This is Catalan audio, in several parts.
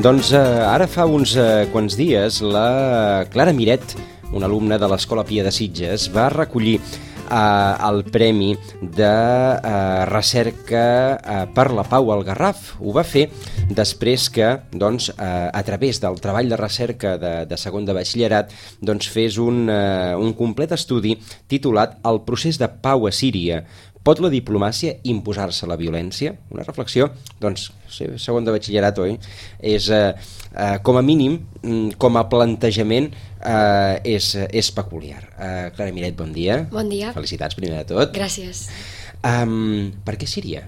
Doncs ara fa uns quants dies la Clara Miret, una alumna de l'Escola Pia de Sitges, va recollir el Premi de Recerca per la Pau al Garraf. Ho va fer després que, a través del treball de recerca de segon de batxillerat, fes un complet estudi titulat El procés de pau a Síria. Pot la diplomàcia imposar-se la violència? Una reflexió, segon de batxillerat, oi? És, com a mínim, com a plantejament, és peculiar. Clara Miret, bon dia. Bon dia. Felicitats, primer de tot. Gràcies. Per què Síria?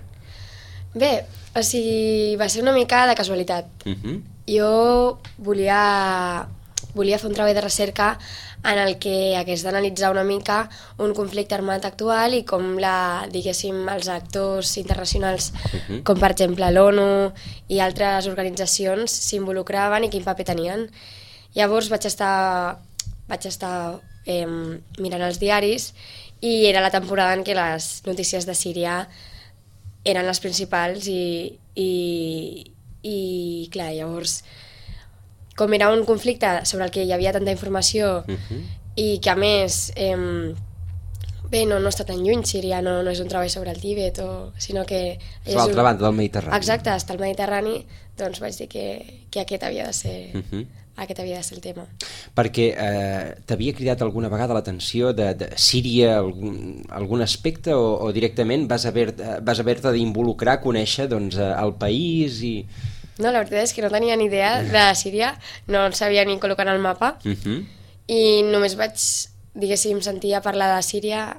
Bé, va ser una mica de casualitat. Jo volia fer un treball de recerca en el que hagués d'analitzar una mica un conflicte armat actual i com els actors internacionals, com per exemple l'ONU i altres organitzacions, s'involucraven i quin paper tenien. Llavors vaig estar mirant els diaris i era la temporada en què les notícies de Síria eren les principals i clar, llavors, com era un conflicte sobre el que hi havia tanta informació i que a més no està tan lluny Síria, no és un treball sobre el Tibet, sinó que és l'altra banda del Mediterrani. Exacte, està al Mediterrani, doncs vaig dir que aquest havia de ser el tema. Perquè t'havia cridat alguna vegada l'atenció de Síria, algun aspecte, o directament vas haver-te d'involucrar, conèixer el país i... No, la veritat és que no tenia ni idea de Síria, no sabia ni col·locar en el mapa, i només vaig, sentir a parlar de Síria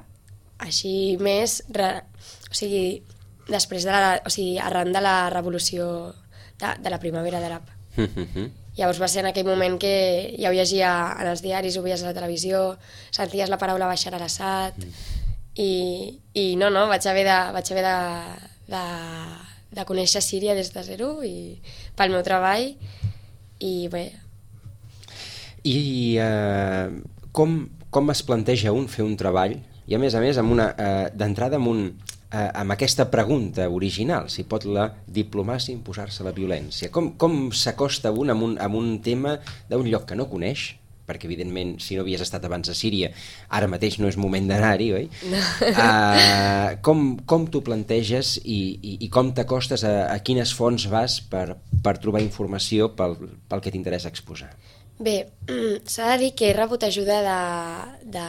així més, després arran de la revolució de la primavera d'Àrab. Llavors va ser en aquell moment que ja ho llegia en els diaris, ho veies a la televisió, senties la paraula Bashar al-Assad, i vaig haver de conèixer Síria des de zero i pel meu treball i bé. I com es planteja fer un treball i a més d'entrada amb aquesta pregunta original, si pot la diplomàcia imposar-se la violència? Com s'acosta un amb un tema d'un lloc que no coneix? Perquè, evidentment, si no havies estat abans a Síria, ara mateix no és moment d'anar-hi, oi? No. Com t'ho planteges i com t'acostes a quines fonts vas per trobar informació pel que t'interessa exposar? Bé, s'ha de dir que he rebut ajuda de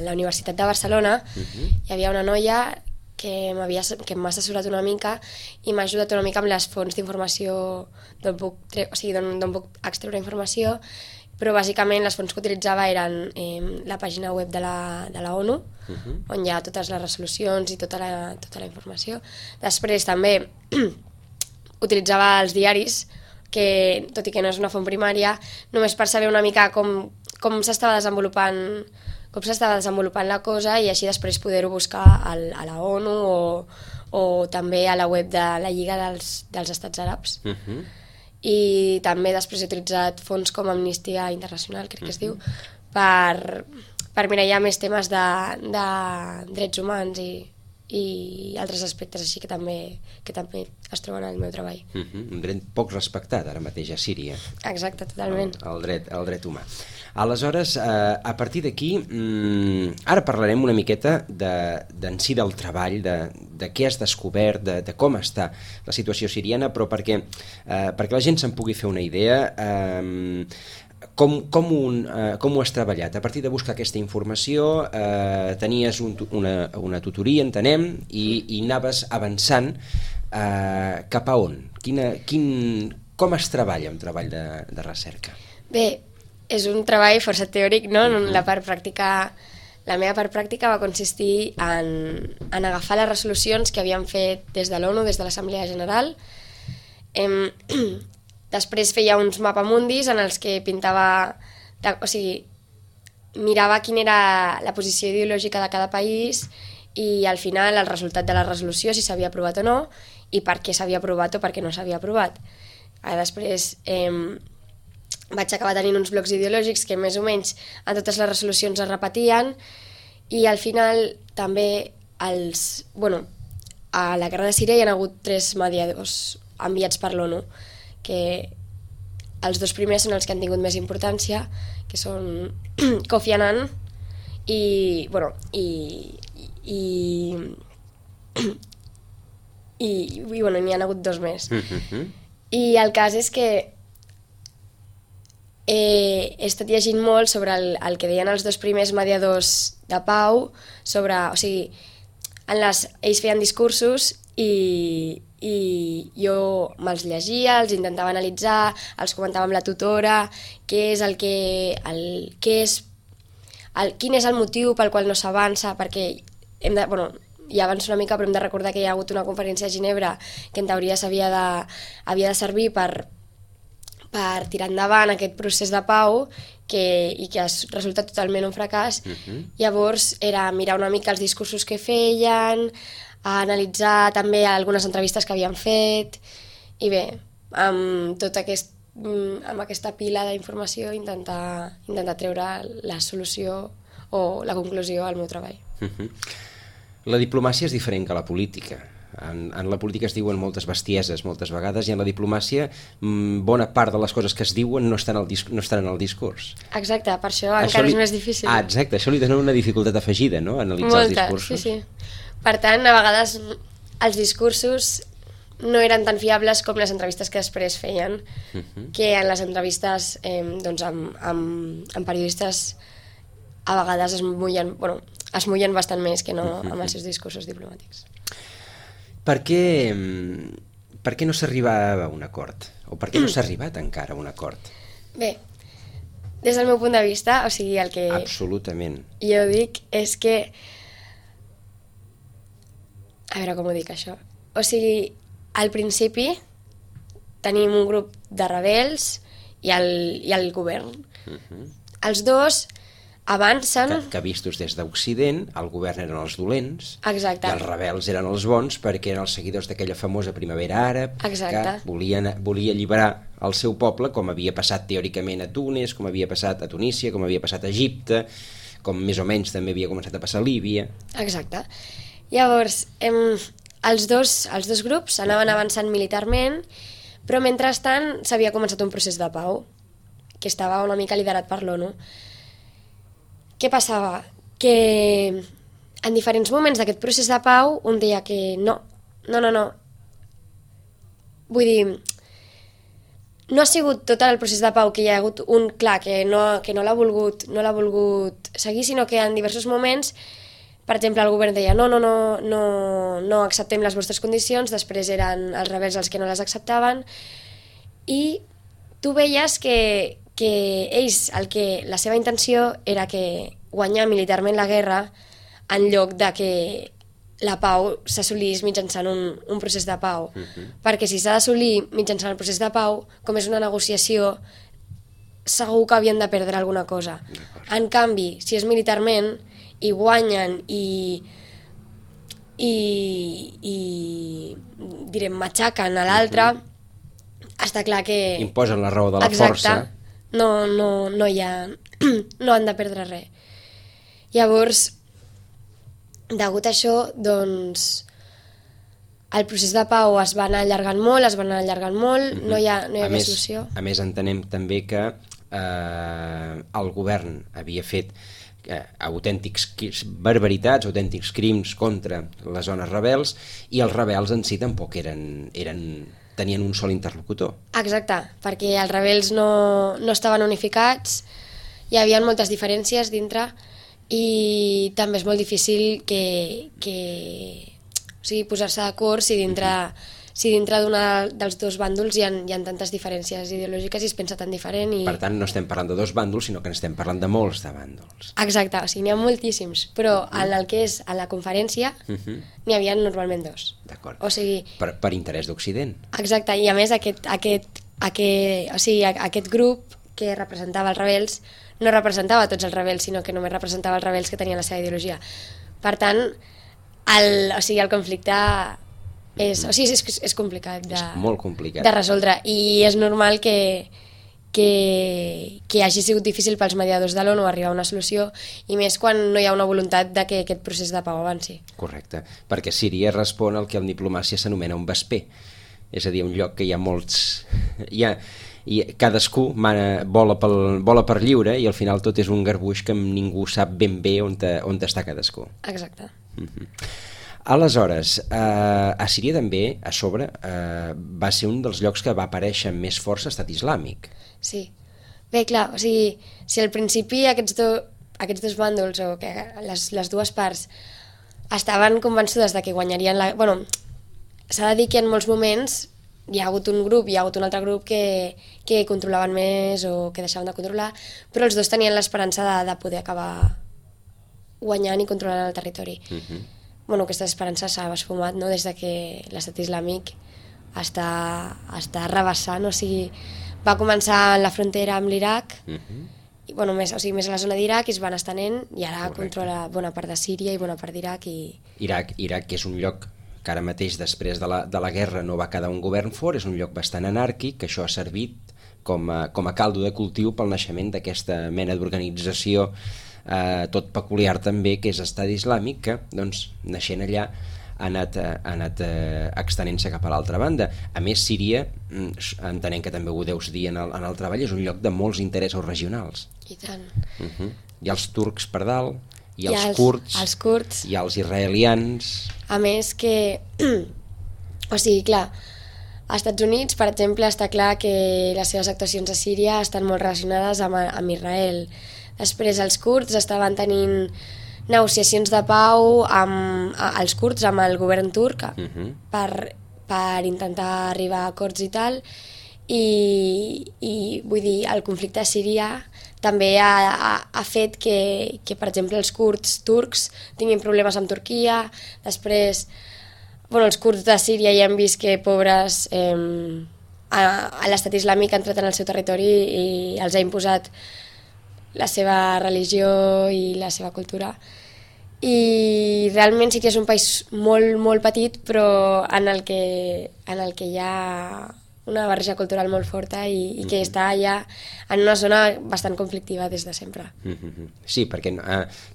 la Universitat de Barcelona. Hi havia una noia que m'ha assessorat una mica i m'ha ajudat una mica amb les fonts d'informació d'on puc extreure informació, però bàsicament les fonts que utilitzava eren la pàgina web de la ONU, on hi ha totes les resolucions i tota la informació. Després també utilitzava els diaris, que tot i que no és una font primària, només per saber una mica com s'estava desenvolupant la cosa i així després poder-ho buscar a la ONU o també a la web de la Lliga dels Estats Àrabs. I també després he utilitzat fonts com Amnistia Internacional, crec que es diu, per mirallar més temes de drets humans i altres aspectes així que també es troben al meu treball. Un dret poc respectat ara mateix a Síria. Exacte, totalment. El dret humà. Aleshores, a partir d'aquí, ara parlarem una miqueta d'en si del treball, de què has descobert, de com està la situació siriana, però perquè la gent se'n pugui fer una idea, com ho has treballat? A partir de buscar aquesta informació, tenies una tutoria, entenem, i anaves avançant cap a on? Com es treballa un treball de recerca? Bé, és un treball força teòric, no? La meva part pràctica va consistir en agafar les resolucions que havien fet des de l'ONU, des de l'Assemblea General. Després feia uns mapamundis en els que pintava, mirava quina era la posició ideològica de cada país i al final el resultat de la resolució, si s'havia aprovat o no, i per què s'havia aprovat o per què no s'havia aprovat. Després vaig acabar tenint uns blocs ideològics que més o menys en totes les resolucions es repetien i al final també a la guerra de Síria hi ha hagut 3 mediadors enviats per l'ONU que els dos primers són els que han tingut més importància, que són Kofi Annan i n'hi ha hagut dos més. I el cas és que he estat llegint molt sobre el que deien els dos primers mediadors de pau, o sigui, ells feien discursos i jo me'ls llegia, els intentava analitzar, els comentava amb la tutora, quin és el motiu pel qual no s'avança, perquè ja avanço una mica, però hem de recordar que hi ha hagut una conferència a Ginebra que en teoria havia de servir per tirar endavant aquest procés de pau i que ha resultat totalment un fracàs. Llavors era mirar una mica els discursos que feien, analitzar també algunes entrevistes que havien fet i bé, amb aquesta pila d'informació intentar treure la solució o la conclusió al meu treball. La diplomàcia és diferent que la política. En la política es diuen moltes bestieses moltes vegades i en la diplomàcia bona part de les coses que es diuen no estan en el discurs. Exacte, per això encara és més difícil. Exacte, això li dona una dificultat afegida, no?, analitzar els discursos. Sí. Per tant, a vegades els discursos no eren tan fiables com les entrevistes que després feien, que en les entrevistes amb periodistes a vegades es mullen bastant més que no amb els seus discursos diplomàtics. Per què no s'arribava a un acord? O per què no s'ha arribat encara a un acord? Bé, des del meu punt de vista, o sigui, el que absolutament jo dic és que... A veure com ho dic, això. O sigui, al principi tenim un grup de rebels i el govern. Els dos avancen... Que vistos des d'Occident, el govern eren els dolents. Exacte. I els rebels eren els bons perquè eren els seguidors d'aquella famosa primavera àrab. Exacte. Que volia alliberar el seu poble, com havia passat teòricament a Tunis, com havia passat a Tunísia, com havia passat a Egipte, com més o menys també havia començat a passar a Líbia. Exacte. Llavors, els dos grups anaven avançant militarment, però mentrestant s'havia començat un procés de pau que estava una mica liderat per l'ONU. Què passava? Que en diferents moments d'aquest procés de pau un deia que no. Vull dir, no ha sigut tot el procés de pau que hi ha hagut un clar que no l'ha volgut seguir, sinó que en diversos moments, per exemple, el govern deia no acceptem les vostres condicions, després eren els rebels els que no les acceptaven, i tu veies que ells, la seva intenció era que guanyar militarment la guerra en lloc de que la pau s'assolís mitjançant un procés de pau. Perquè si s'ha d'assolir mitjançant el procés de pau, com és una negociació, segur que havien de perdre alguna cosa. En canvi, si és militarment i guanyen i direm, matxaquen a l'altre, està clar que... imposen la raó de la força. No han de perdre res. Llavors, degut a això, doncs, el procés de pau es va anar allargant molt, no hi havia solució. A més, entenem també que el govern havia fet autèntics barbaritats, autèntics crims contra les zones rebels, i els rebels en si tampoc tenien un sol interlocutor. Exacte, perquè els rebels no estaven unificats, hi havia moltes diferències dintre, i també és molt difícil posar-se d'acord si dintre d'un dels dos bàndols hi ha tantes diferències ideològiques i es pensa tan diferent. Per tant, no estem parlant de dos bàndols, sinó que estem parlant de molts de bàndols. Exacte, o sigui, n'hi ha moltíssims, però en el que és a la conferència n'hi havia normalment dos. D'acord, o sigui, per interès d'Occident. Exacte, i a més aquest grup que representava els rebels no representava tots els rebels, sinó que només representava els rebels que tenien la seva ideologia. Per tant, el conflicte és complicat és molt complicat de resoldre, i és normal que hagi sigut difícil pels mediadors de l'ONU arribar a una solució, i més quan no hi ha una voluntat de que aquest procés de pau avanci. Correcte, perquè Síria respon al que en diplomàcia s'anomena un vesper, és a dir, un lloc que hi ha molts... Hi i cadascú vola per lliure i al final tot és un garbuix que ningú sap ben bé on està cadascú. Exacte. Aleshores, a Síria també, a sobre, va ser un dels llocs que va aparèixer amb més força Estat Islàmic. Sí. Bé, clar, o sigui, si al principi aquests dos bàndols o que les dues parts estaven convençudes de que guanyarien Bueno, s'ha de dir que en molts moments hi ha hagut un grup, hi ha hagut un altre grup que controlaven més o que deixaven de controlar, però els dos tenien l'esperança de poder acabar guanyant i controlant el territori. Bueno, aquesta esperança s'ha esfumat, no?, des de que l'Estat Islàmic està rebassant, o sigui, va començar en la frontera amb l'Iraq, i, bueno, més a la zona d'Iraq, i es van estenent, i ara controla bona part de Síria i bona part d'Iraq. Iraq, que és un lloc que ara mateix, després de la guerra, no va quedar un govern fort, és un lloc bastant anàrquic, que això ha servit com a caldo de cultiu pel naixement d'aquesta mena d'organització tot peculiar també, que és Estat Islàmic, que, doncs, naixent allà, ha anat extenent-se cap a l'altra banda. A més, Síria, entenent que també ho deus dir en el treball, és un lloc de molts interessos regionals. I tant. Hi ha els turcs per dalt, hi ha els kurds, hi ha els israelians... A més que, o sigui, clar, als Estats Units, per exemple, està clar que les seves actuacions a Síria estan molt relacionades amb Israel. Després els kurds estaven tenint negociacions de pau els kurds amb el govern turc per intentar arribar a acords i tal, i vull dir, el conflicte a Síria també ha fet que, per exemple, els kurds turcs tinguin problemes amb Turquia. Després, bueno, els kurds de Síria ja han vist que, pobres, l'Estat Islàmic ha entrat en el seu territori i els ha imposat la seva religió i la seva cultura. I realment sí que és un país molt, molt petit, però en el que hi ha una barreja cultural molt forta i que està ja en una zona bastant conflictiva des de sempre. Sí, perquè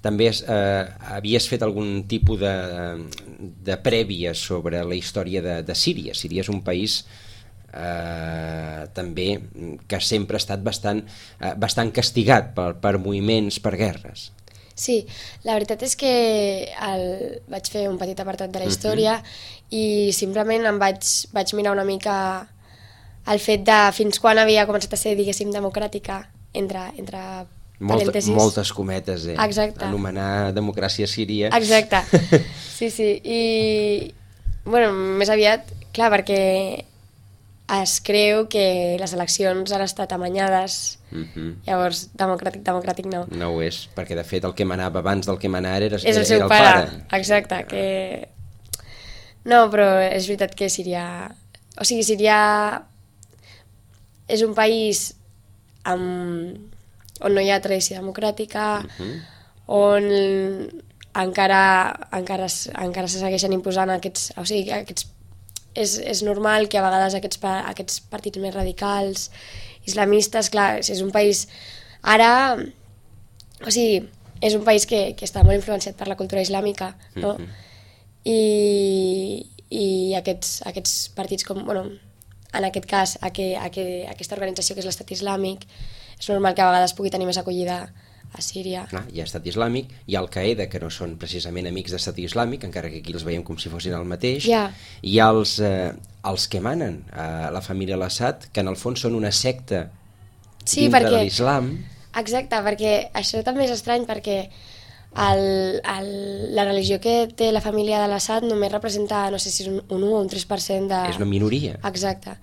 també havies fet algun tipus de prèvia sobre la història de Síria. Síria és un país també que sempre ha estat bastant castigat per moviments, per guerres. Sí, la veritat és que vaig fer un petit apartat de la història i simplement em vaig mirar una mica el fet de fins quan havia començat a ser, diguéssim, democràtica, entre parèntesis. Moltes cometes, Exacte. Anomenar democràcia síria. Exacte, sí. I, bueno, més aviat, clar, perquè es creu que les eleccions han estat amanyades, llavors democràtic no. No ho és, perquè de fet el que manava abans del que manar era el seu pare. Exacte, que... No, però és veritat que Síria... O sigui, Síria és un país on no hi ha tradició democràtica, on encara se segueixen imposant aquests... O sigui, és normal que a vegades aquests partits més radicals, islamistes, clar, és un país... Ara, o sigui, és un país que està molt influenciat per la cultura islàmica, no? I aquests partits com... Bueno, en aquest cas, aquesta organització que és l'Estat Islàmic, és normal que a vegades pugui tenir més acollida a Síria. Hi ha Estat Islàmic, hi ha Al-Qaeda, que no són precisament amics d'Estat Islàmic, encara que aquí els veiem com si fossin el mateix. Hi ha els que manen, la família al-Assad, que en el fons són una secta dintre de l'islam. Exacte, perquè això també és estrany, perquè la religió que té la família de l'Assad només representa, no sé si és un 1 o un 3% de... És una minoria. Exacte.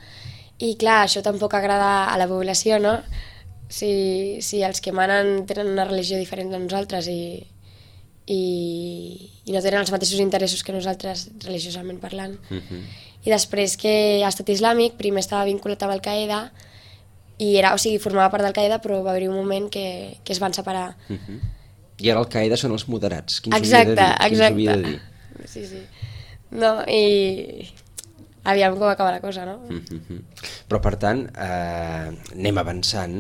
I clar, això tampoc agrada a la població, no? Si els que manen tenen una religió diferent de nosaltres i no tenen els mateixos interessos que nosaltres, religiosament parlant. I després que l'Estat Islàmic primer estava vinculat amb Al-Qaeda i formava part d'Al-Qaeda, però va haver-hi un moment que es van separar. I ara Al-Qaeda són els moderats. Exacte. Dir? Sí. No, i aviam com acaba la cosa, no? Però, per tant, anem avançant.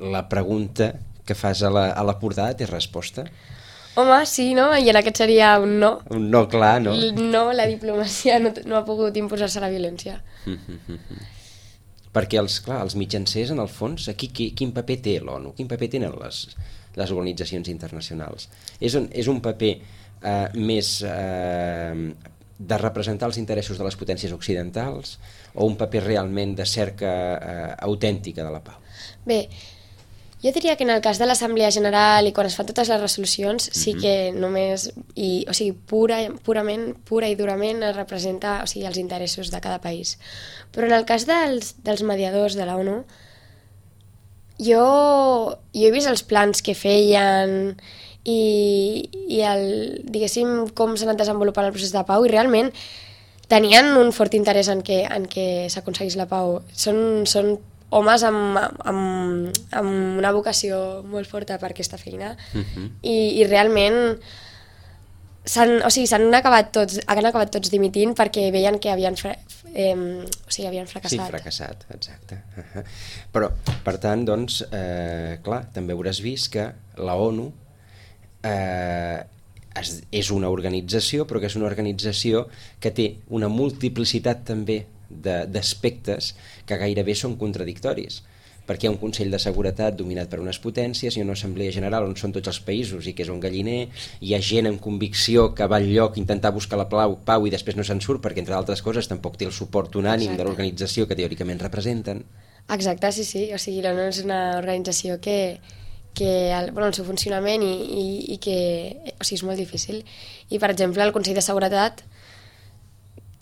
La pregunta que fas a la portada té resposta? Home, sí, no? I en aquest seria un no. Un no clar, no? No, la diplomàcia no ha pogut imposar-se la violència. perquè els mitjancers, en el fons, aquí quin paper té l'ONU? Quin paper tenen les organitzacions internacionals? És un paper més de representar els interessos de les potències occidentals o un paper realment de cerca autèntica de la pau? Bé, jo diria que en el cas de l'Assemblea General i quan es fan totes les resolucions sí que només, o sigui, pura i durament es representa, o sigui, els interessos de cada país. Però en el cas dels mediadors de la ONU, jo he vist els plans que feien i diguéssim, com s'ha anat desenvolupant el procés de pau i realment tenien un fort interès en què s'aconseguís la pau. Són homes amb una vocació molt forta per aquesta feina i realment han acabat tots dimitint perquè veien que havien fracassat. Sí, fracassat, exacte. Però, per tant, doncs, clar, també hauràs vist que la ONU és una organització, però que és una organització que té una multiplicitat també d'aspectes que gairebé són contradictoris, perquè hi ha un Consell de Seguretat dominat per unes potències, hi ha una Assemblea General on són tots els països i que és un galliner, hi ha gent amb convicció que va al lloc intentar buscar la pau i després no se'n surt perquè, entre altres coses, tampoc té el suport unànim de l'organització que teòricament representen. Exacte, sí. O sigui, l'ONU és una organització que el seu funcionament i que és molt difícil. I, per exemple, al Consell de Seguretat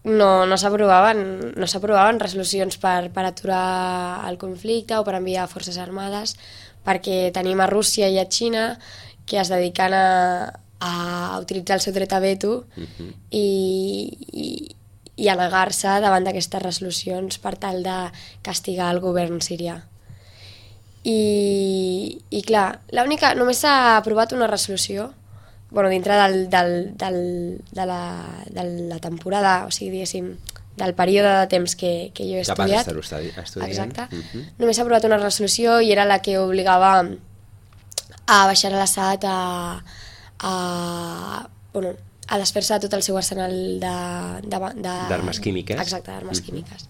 no s'aprovaven resolucions per aturar el conflicte o per enviar forces armades, perquè tenim a Rússia i a Xina que es dediquen a utilitzar el seu dret a veto i a negar-se davant d'aquestes resolucions per tal de castigar el govern sirià. I clar, només s'ha aprovat una resolució dintre de la temporada, o sigui, diguéssim, del període de temps que jo he estudiat. Que vas estar estudiant. Exacte. Només s'ha aprovat una resolució i era la que obligava a Bashar al-Assad a desfer-se de tot el seu arsenal d'armes químiques. Exacte, d'armes químiques.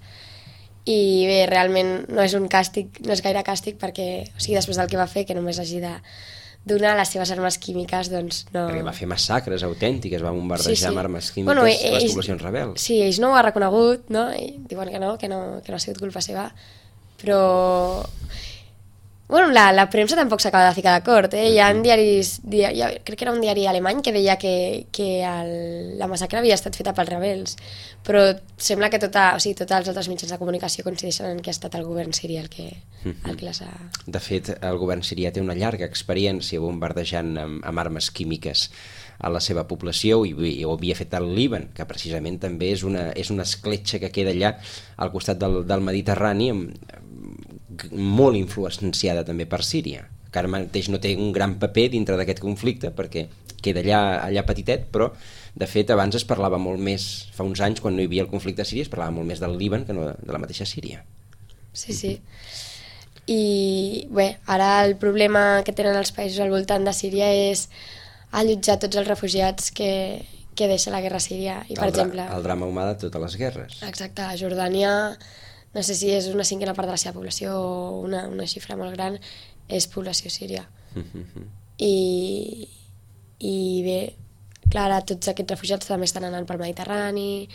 I bé, realment no és un càstig, no és gaire càstig perquè, o sigui, després del que va fer, que només hagi de donar les seves armes químiques, doncs no... Perquè va fer massacres autèntiques, va bombardejar amb armes químiques les poblacions rebels. Sí, ells no ho ha reconegut, no? I diuen que no ha sigut culpa seva, però... la premsa tampoc s'acaba de ficar d'acord, Hi ha diaris, crec que era un diari alemany que deia que la massacre havia estat feta pels rebels, però sembla que tots els altres mitjans de comunicació coincideixen en que ha estat el govern siri el que les ha... De fet, el govern sirià té una llarga experiència bombardejant amb armes químiques a la seva població i ho havia fet al Líban, que precisament també és una escletxa que queda allà al costat del Mediterrani, molt influenciada també per Síria, que ara mateix no té un gran paper dintre d'aquest conflicte perquè queda allà petitet, però de fet abans es parlava molt més, fa uns anys quan no hi havia el conflicte a Síria es parlava molt més del Líban que no de la mateixa Síria. Sí. I bé, ara el problema que tenen els països al voltant de Síria és allotjar tots els refugiats que deixa la guerra a Síria. I, per exemple, el drama humà de totes les guerres. Exacte, a Jordània, no sé si és una cinquena part de la seva població o una xifra molt gran, és població síria. I bé, clar, tots aquests refugiats també estan anant pel Mediterrani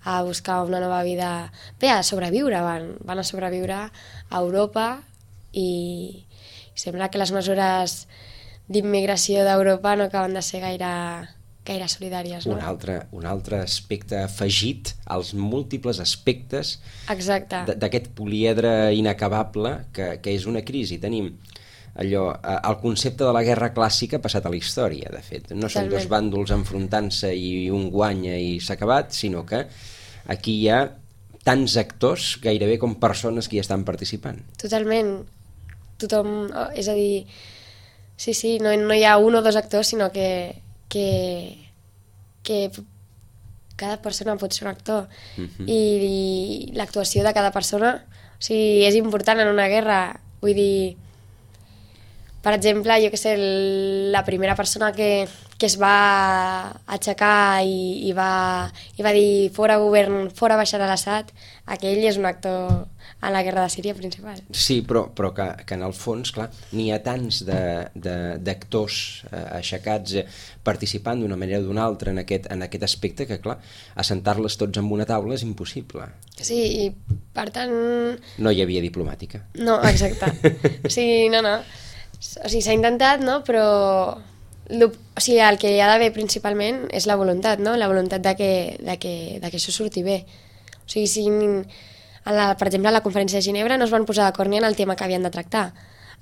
a buscar una nova vida. Bé, a sobreviure, van a sobreviure a Europa i sembla que les mesures d'immigració d'Europa no acaben de ser gaire solidàries, no? Un altre aspecte afegit als múltiples aspectes d'aquest poliedre inacabable que és una crisi. Tenim el concepte de la guerra clàssica passat a la història, de fet. No són dos bàndols enfrontant-se i un guanya i s'ha acabat, sinó que aquí hi ha tants actors gairebé com persones que hi estan participant. Totalment. Tothom, és a dir, sí, no hi ha un o dos actors, sinó que cada persona pot ser un actor i l'actuació de cada persona, o sigui, és important en una guerra. Vull dir, per exemple, jo que sé, la primera persona que que es va aixecar i va dir fora govern, fora Bashar al-Assad, aquell és un actor en la guerra de Síria principal. Sí, però que en el fons, clar, n'hi ha tants d'actors aixecats participant d'una manera o d'una altra en aquest aspecte que, clar, assentar-les tots en una taula és impossible. Sí, i per tant... No hi havia diplomàtica. No, exacte. Sí, no. O sigui, s'ha intentat, no? Però o sigui, el que hi ha d'haver principalment és la voluntat, no? La voluntat de que això surti bé. O sigui, si... per exemple, a la conferència de Ginebra no es van posar d'acord ni en el tema que havien de tractar.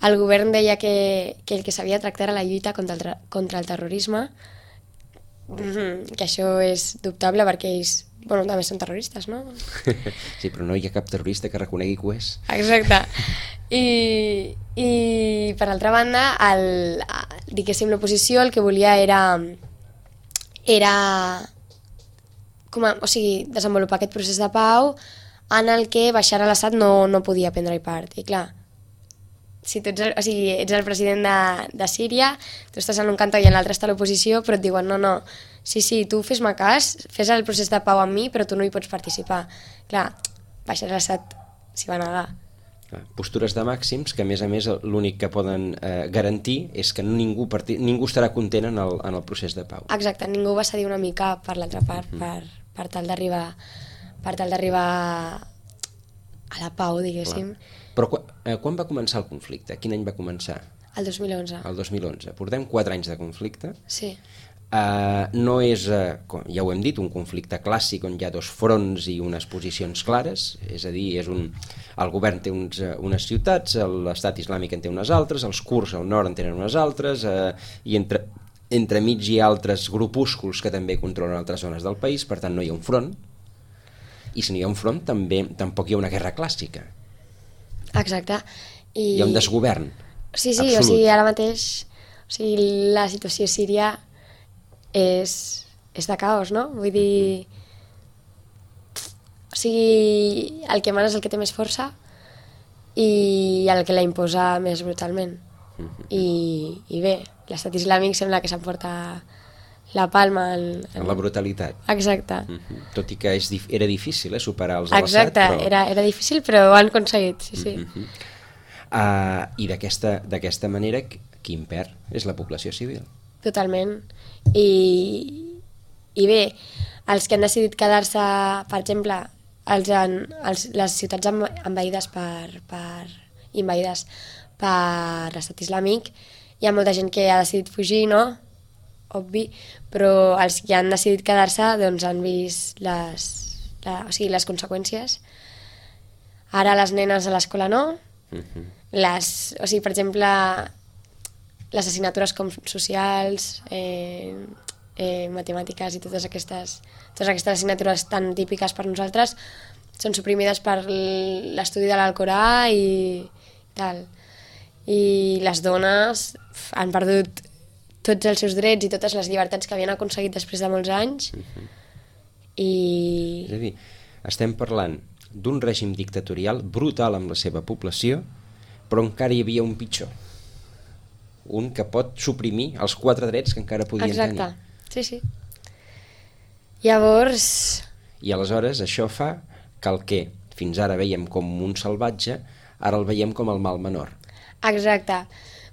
El govern deia que el que s'havia de tractar era la lluita contra el terrorisme, que això és dubtable perquè ells també són terroristes, no? Sí, però no hi ha cap terrorista que reconegui que ho és. Exacte. I per altra banda, diguéssim, l'oposició el que volia era desenvolupar aquest procés de pau en el que Bashar al-Assad no podia prendre-hi part. I clar, si tu ets el president de Síria, tu estàs en un cantó i en l'altre està l'oposició, però et diuen no, sí, tu fes-me cas, fes el procés de pau amb mi, però tu no hi pots participar. Clar, Bashar al-Assad s'hi va negar. Postures de màxims que, a més, l'únic que poden garantir és que ningú estarà content en el procés de pau. Exacte, ningú va cedir una mica per l'altra part per tal d'arribar a la pau, diguéssim. Però quan va començar el conflicte? Quin any va començar? El 2011. El 2011. Portem 4 anys de conflicte. Sí. No és, ja ho hem dit, un conflicte clàssic on hi ha dos fronts i unes posicions clares, és a dir, el govern té unes ciutats, l'estat islàmic en té unes altres, els kurds al nord en tenen unes altres, i entremig hi ha altres grupúsculs que també controlen altres zones del país, per tant no hi ha un front, i si no hi ha un front tampoc hi ha una guerra clàssica. Exacte. Hi ha un desgovern. Sí, absolut. O sigui, ara mateix la situació a Síria és de caos, no? Vull dir... O sigui, el que mana és el que té més força i el que la imposa més brutalment. I bé, l'estat islàmic sembla que s'emporta la palma en la brutalitat. Exacte. Tot i que era difícil superar els al·Assad. Exacte, però... era difícil, però ho han aconseguit, sí. I d'aquesta manera, qui en perd és la població civil. Totalment. I bé, els que han decidit quedar-se, per exemple, les ciutats envaïdes per l'estat islàmic, hi ha molta gent que ha decidit fugir, no? Obvi, però els que han decidit quedar-se doncs han vist les conseqüències. Ara les nenes a l'escola no. Per exemple, les assignatures com socials, matemàtiques i totes aquestes assignatures tan típiques per nosaltres són suprimides per l'estudi de l'Alcorà i tal. I les dones han perdut tots els seus drets i totes les llibertats que havien aconseguit després de molts anys. És a dir, estem parlant d'un règim dictatorial brutal amb la seva població, però encara hi havia un pitjor. Un que pot suprimir els 4 drets que encara podien tenir. Exacte, sí. Llavors... I aleshores això fa que el que fins ara veiem com un salvatge, ara el veiem com el mal menor. Exacte.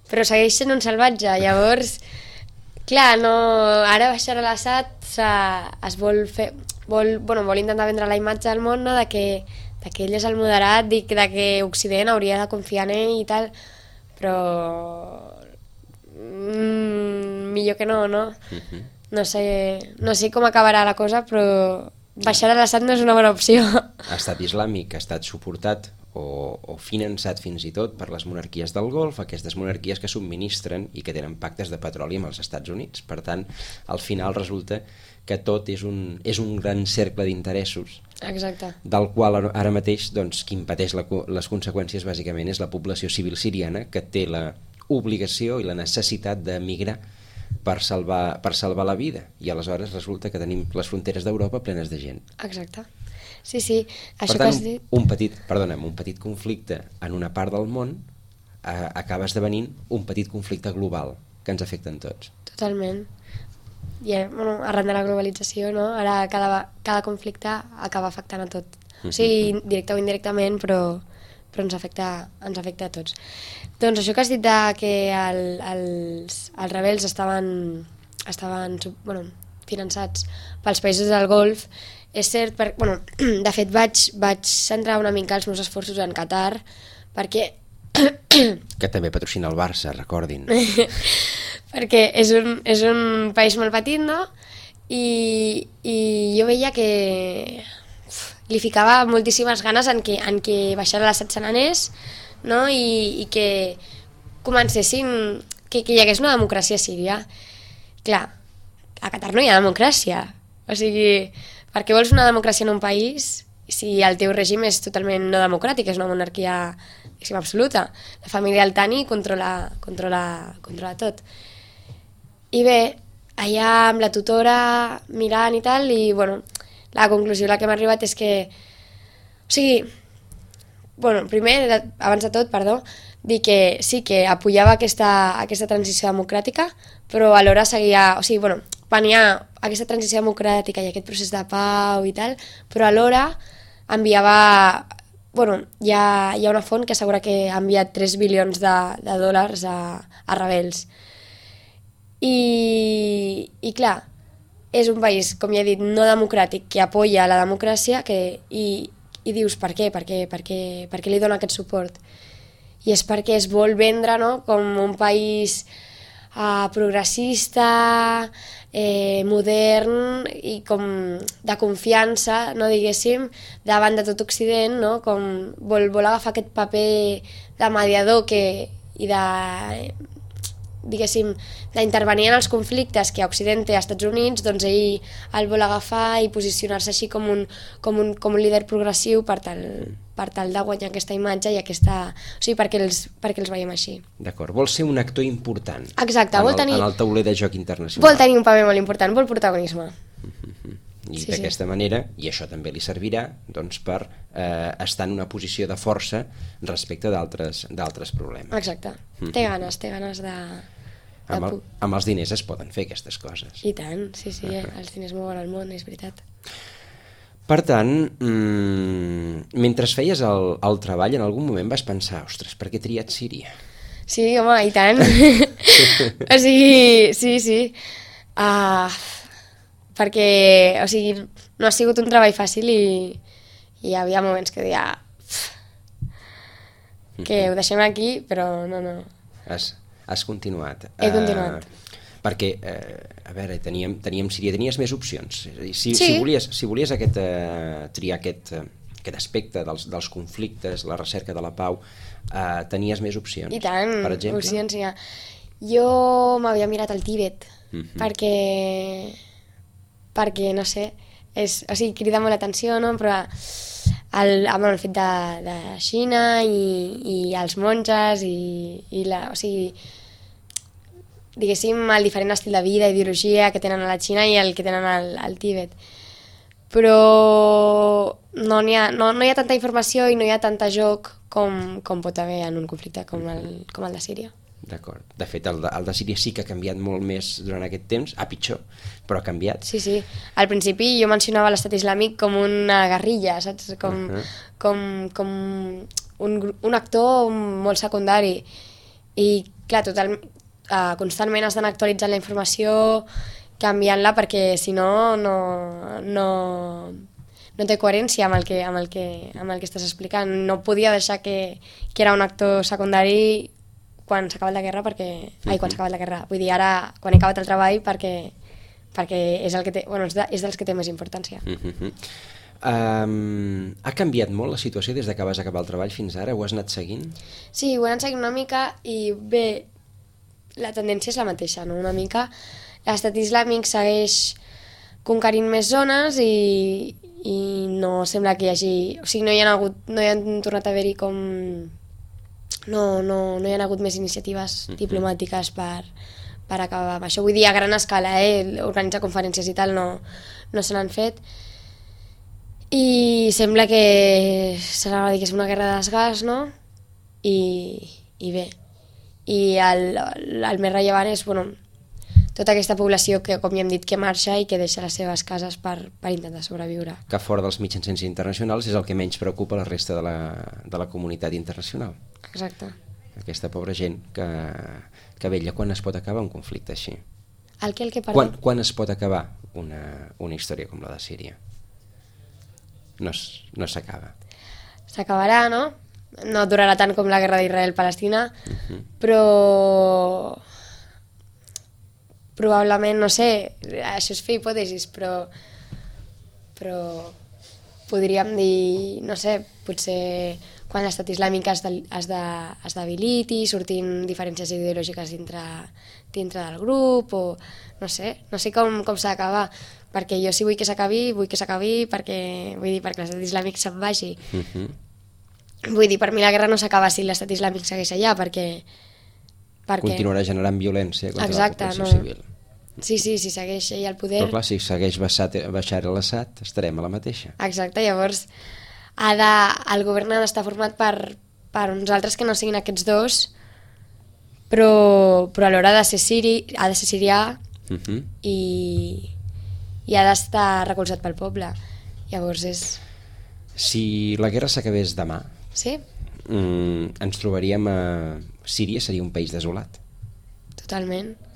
Però segueix sent un salvatge, llavors, clar, ara Bashar al-Assad vol intentar vendre la imatge al món, no? de que ell és el moderat, de que Occident hauria de confiar en ell i tal, però millor que no? No sé com acabarà la cosa, però Bashar al-Assad no és una bona opció. L'estat islàmic ha estat suportat o finançat fins i tot per les monarquies del Golf, aquestes monarquies que subministren i que tenen pactes de petroli amb els Estats Units. Per tant, al final resulta que tot és un gran cercle d'interessos. Exacte. Del qual ara mateix qui en pateix les conseqüències bàsicament és la població civil siriana, que té l'obligació i la necessitat d'emigrar per salvar la vida, i aleshores resulta que tenim les fronteres d'Europa plenes de gent. Exacte. Sí, això per tant, que has dit... un petit conflicte en una part del món acaba esdevenint un petit conflicte global que ens afecta a tots. Totalment. bueno, arran de la globalització, no? Ara cada conflicte acaba afectant a tot. O sigui, directe o indirectament, però ens afecta a tots. Doncs això que has dit que els rebels estaven finançats pels països del Golf, és cert, de fet vaig centrar una mica els meus esforços en Qatar, perquè... Que també patrocina el Barça, recordin. Perquè és un país molt petit, no? I jo veia que li ficava moltíssimes ganes en que baixara l'Assad anés, no? I que comencessin, que hi hagués una democràcia a Síria. Clar, a Qatar no hi ha democràcia. O sigui, per què vols una democràcia en un país si el teu règim és totalment no democràtic, és una monarquia absoluta? La família Al-Thani controla tot. I bé, allà amb la tutora mirant i tal, i bueno, la conclusió a la que hem arribat és que, o sigui, bueno, primer, abans de tot, dir que sí que apoyava aquesta transició democràtica, però alhora seguia, o sigui, bueno, venia aquesta transició democràtica i aquest procés de pau i tal, però alhora enviava, bueno, hi ha una font que assegura que ha enviat 3 bilions de dòlars a rebels. I clar, és un país, com ja he dit, no democràtic, que apoya la democràcia, i dius per què? Per què li dona aquest suport? I és perquè es vol vendre, no?, com un país progressista, modern i com de confiança, no, diguéssim, davant de tot Occident, no?, com vol agafar aquest paper de mediador i de, diguéssim, d'intervenir en els conflictes que a Occident té als Estats Units, doncs ell el vol agafar i posicionar-se així com un líder progressiu per tal de guanyar aquesta imatge i aquesta... O sigui, perquè els veiem així. D'acord, vol ser un actor important. Exacte, en el tauler de joc internacional. Vol tenir un paper molt important, vol protagonisme. I d'aquesta manera, i això també li servirà, doncs, per estar en una posició de força respecte d'altres problemes. Exacte, té ganes de... Amb els diners es poden fer aquestes coses. I tant, sí, els diners mouen el món, és veritat. Per tant, mentre feies el treball, en algun moment vas pensar, ostres, per què he triat Síria? Sí, home, i tant. O sigui, sí. Perquè, o sigui, no ha sigut un treball fàcil i hi havia moments que deia que ho deixem aquí, però no. Has continuat. He continuat. Perquè, a veure, teníem Síria, tenies més opcions. Si volies triar aquest aspecte dels conflictes, la recerca de la pau, tenies més opcions. I tant, per exemple? Opcions hi ha. Jo m'havia mirat el Tíbet, perquè no sé, o sigui, crida molt l'atenció, no? Però amb el fet de Xina i els monges o sigui, diguéssim, el diferent estil de vida, ideologia que tenen a la Xina i el que tenen al Tíbet. Però no hi ha tanta informació i no hi ha tanta joc com pot haver en un conflicte com el de Síria. D'acord. De fet, el de Síria sí que ha canviat molt més durant aquest temps, a pitjor, però ha canviat. Sí. Al principi jo mencionava l'Estat Islàmic com una guerrilla, saps? Com un actor molt secundari. I, clar, constantment has d'anar actualitzant la informació, canviant-la, perquè si no té coherència amb el que estàs explicant. No podia deixar que era un actor secundari quan s'ha acabat la guerra, quan s'ha acabat la guerra. Vull dir, ara, quan he acabat el treball, perquè és el que té, és dels que té més importància. Ha canviat molt la situació des que vas acabar el treball fins ara? Ho has anat seguint? Sí, ho he anat seguint una mica i bé, la tendència és la mateixa, no? Una mica. L'Estat Islàmic segueix conquerint més zones i no sembla que hi hagi... O sigui, no hi han tornat a haver-hi com... No hi ha hagut més iniciatives diplomàtiques per acabar amb això. Vull dir, a gran escala, organitzar conferències i tal no se n'han fet. I sembla que serà, diguéssim, una guerra de desgast, no? I bé. I el més rellevant és, tota aquesta població que, com ja hem dit, que marxa i que deixa les seves cases per intentar sobreviure. Que fora dels mitjans internacionals és el que menys preocupa la resta de la comunitat internacional. Exacte. Aquesta pobra gent que vetlla. Quan es pot acabar un conflicte així? El que, perdó? Quan es pot acabar una història com la de Síria? No s'acaba. S'acabarà, no? No durarà tant com la guerra d'Israel-Palestina, però probablement, no sé, això és fer hipòtesis, però podríem dir, no sé, potser quan l'estat islàmic es debiliti, sortint diferències ideològiques dintre del grup, o no sé com s'ha d'acabar, perquè jo sí vull que s'acabi, perquè l'estat islàmic se'n vagi. Vull dir, per mi la guerra no s'acaba si l'estat islàmic segueix allà, perquè continuarà generant violència contra la població civil. Sí, si segueix ell al poder... Però clar, si segueix Bashar al-Assad, estarem a la mateixa. Exacte, llavors el govern ha d'estar format per uns altres que no siguin aquests dos, però alhora ha de ser sirià i ha d'estar recolzat pel poble. Llavors és... Si la guerra s'acabés demà, sí? Ens trobaríem a... Síria seria un país desolat. Totalment.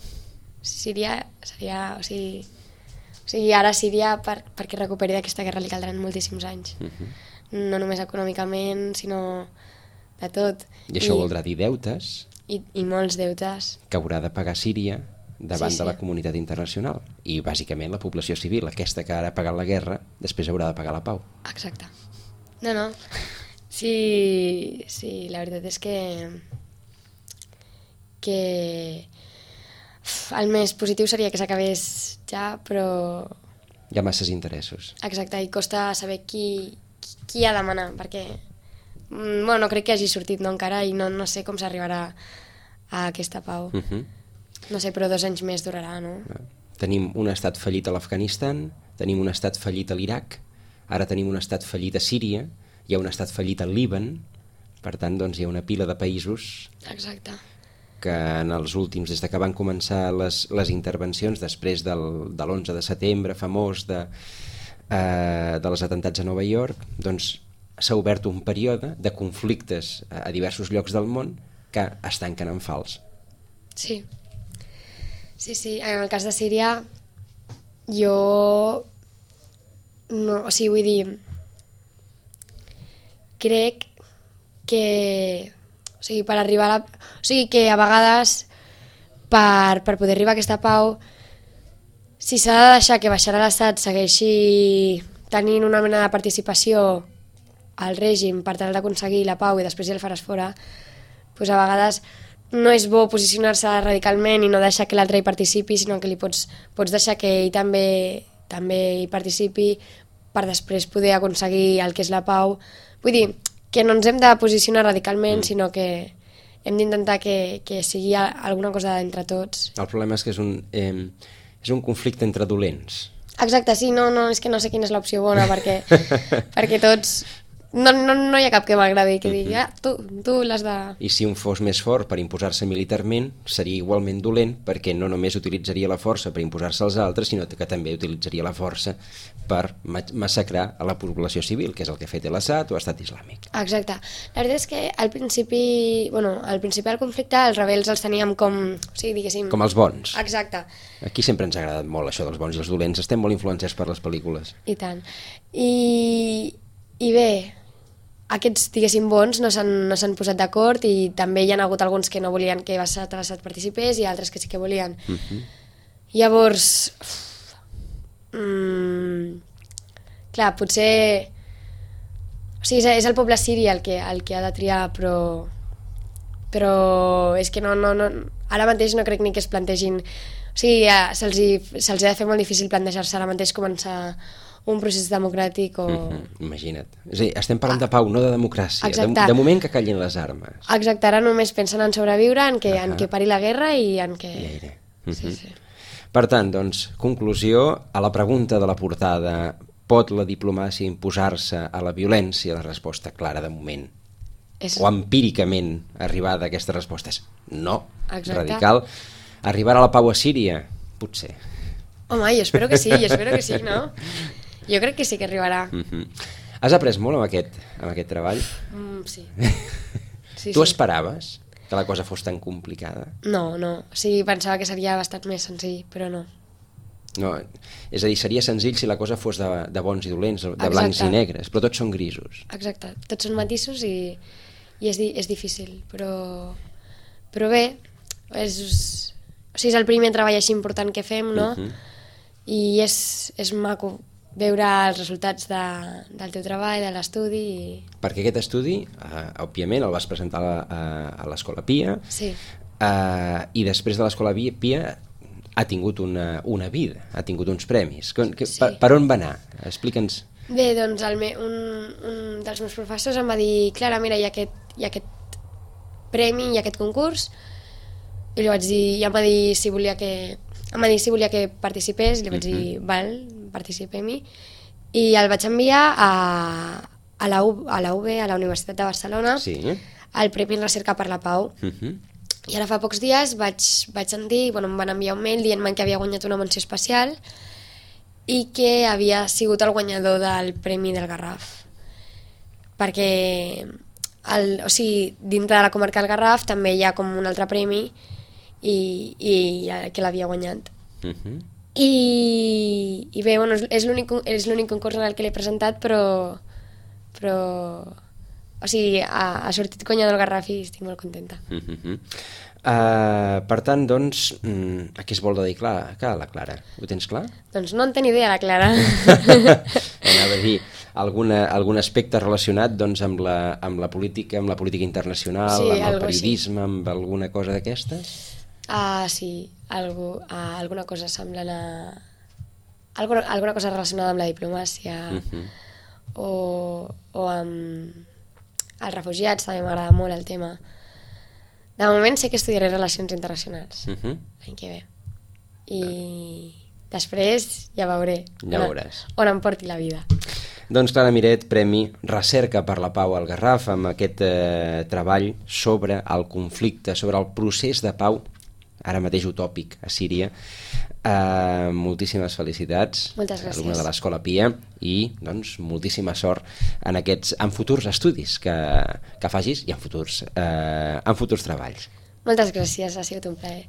Síria seria... O sigui, ara Síria, perquè recuperi d'aquesta guerra, li caldran moltíssims anys. No només econòmicament, sinó de tot. I això voldrà dir deutes. I molts deutes. Que haurà de pagar Síria davant de la comunitat internacional. I bàsicament la població civil, aquesta que ara ha pagat la guerra, després haurà de pagar la pau. Exacte. No. Sí, la veritat és que el més positiu seria que s'acabés ja, però... Hi ha masses interessos. Exacte, i costa saber qui ha de manar, perquè no crec que hagi sortit encara i no sé com s'arribarà a aquesta pau. No sé, però 2 anys més durarà, no? Tenim un estat fallit a l'Afganistan, tenim un estat fallit a l'Iraq, ara tenim un estat fallit a Síria, hi ha un estat fallit al Líban, per tant, doncs, hi ha una pila de països... Exacte. Que en els últims, des que van començar les intervencions després de l'11 de setembre famós dels atentats a Nova York, doncs s'ha obert un període de conflictes a diversos llocs del món que es tanquen en fals. Sí, en el cas de Síria jo no, o sigui, vull dir, crec que per arribar a que a vegades per poder arribar a aquesta pau, si s'ha de deixar que Bashar al-Assad segueixi tenint una mena de participació al règim per tal d'aconseguir la pau i després ja el faràs fora, doncs a vegades no és bo posicionar-se radicalment i no deixar que l'altre hi participi, sinó que li pots deixar que ell també hi participi per després poder aconseguir el que és la pau. Vull dir, que no ens hem de posicionar radicalment, sinó que hem d'intentar que sigui alguna cosa entre tots. El problema és que és un conflicte entre dolents. Exacte, sí, no, és que no sé quina és l'opció bona, perquè tots... No hi ha cap que m'agradi, que digui, tu l'has de... I si un fos més fort per imposar-se militarment, seria igualment dolent, perquè no només utilitzaria la força per imposar-se als altres, sinó que també utilitzaria la força per massacrar a la població civil, que és el que ha fet l'Assad o l'Estat Islàmic. Exacte. La veritat és que al principi del conflicte els rebels els teníem com, o sigui, diguéssim... Com els bons. Exacte. Aquí sempre ens ha agradat molt això dels bons i els dolents, estem molt influenciats per les pel·lícules. I tant. I bé, aquests, diguéssim, bons no s'han posat d'acord i també hi ha hagut alguns que no volien que Bashar al-Assad participés i altres que sí que volien. Llavors, clar, potser... O sigui, és el poble siri el que ha de triar, però és que no, ara mateix no crec ni que es plantegin... O sigui, se'ls ha de fer molt difícil plantejar-se ara mateix començar un procés democràtic o... Imagina't. És a dir, estem parlant de pau, no de democràcia. De moment que callin les armes. Exacte, ara només pensen en sobreviure, en que pari la guerra i en que... Sí. Per tant, doncs, conclusió, a la pregunta de la portada, pot la diplomàcia imposar-se a la violència? La resposta clara de moment, o empíricament arribar a aquestes respostes, no. Exacte. Radical. Arribar a la pau a Síria? potser. Home, jo espero que sí, no? Jo crec que sí que arribarà. Has après molt amb aquest treball? Sí. Tu esperaves que la cosa fos tan complicada? No. O sigui, pensava que seria bastant més senzill, però no. No, és a dir, seria senzill si la cosa fos de bons i dolents, de blancs i negres, però tots són grisos. Exacte, tots són matisos i és difícil, però bé, és el primer treball així important que fem, no? I és maco veure els resultats del teu treball, de l'estudi. Perquè aquest estudi, òbviament, el vas presentar a l'Escola Pia, sí. I després de l'Escola Pia ha tingut una vida, ha tingut uns premis. Per on va anar? Explica'ns. Bé, doncs un dels meus professors em va dir: Clara, mira, hi ha aquest premi, hi ha aquest concurs, i li vaig dir, i em va dir si volia que participés, i li vaig dir, val, participem-hi, i el vaig enviar a la UB, a la Universitat de Barcelona, al Premi en Recerca per la Pau. I ara fa pocs dies vaig sentir, em van enviar un mail dient-me que havia guanyat una menció especial i que havia sigut el guanyador del Premi del Garraf. Perquè, dintre de la comarca del Garraf també hi ha com un altre premi i que l'havia guanyat. I bé, és l'únic concurs en el que l'he presentat, però ha sortit guanyador del Garraf i estic molt contenta. Per tant, doncs, a què es vol dedicar la Clara? Ho tens clar? Doncs no en tenc idea, la Clara. Anava a dir, algun aspecte relacionat amb la política internacional, amb el periodisme, amb alguna cosa d'aquestes? Sí, alguna cosa semblant a... alguna cosa relacionada amb la diplomàcia o amb els refugiats, també m'agrada molt el tema. De moment sé que estudiaré Relacions Internacionals l'any que ve. I després ja veuré on em porti la vida. Doncs Clara Miret, Premi Recerca per la Pau al Garraf, amb aquest treball sobre el conflicte, sobre el procés de pau, ara mateix utòpic, a Síria. Moltíssimes felicitats. Moltes gràcies. Alumna de l'Escola Pia, i doncs moltíssima sort en futurs estudis que facis i en futurs treballs. Moltes gràcies, ha sigut un plaer.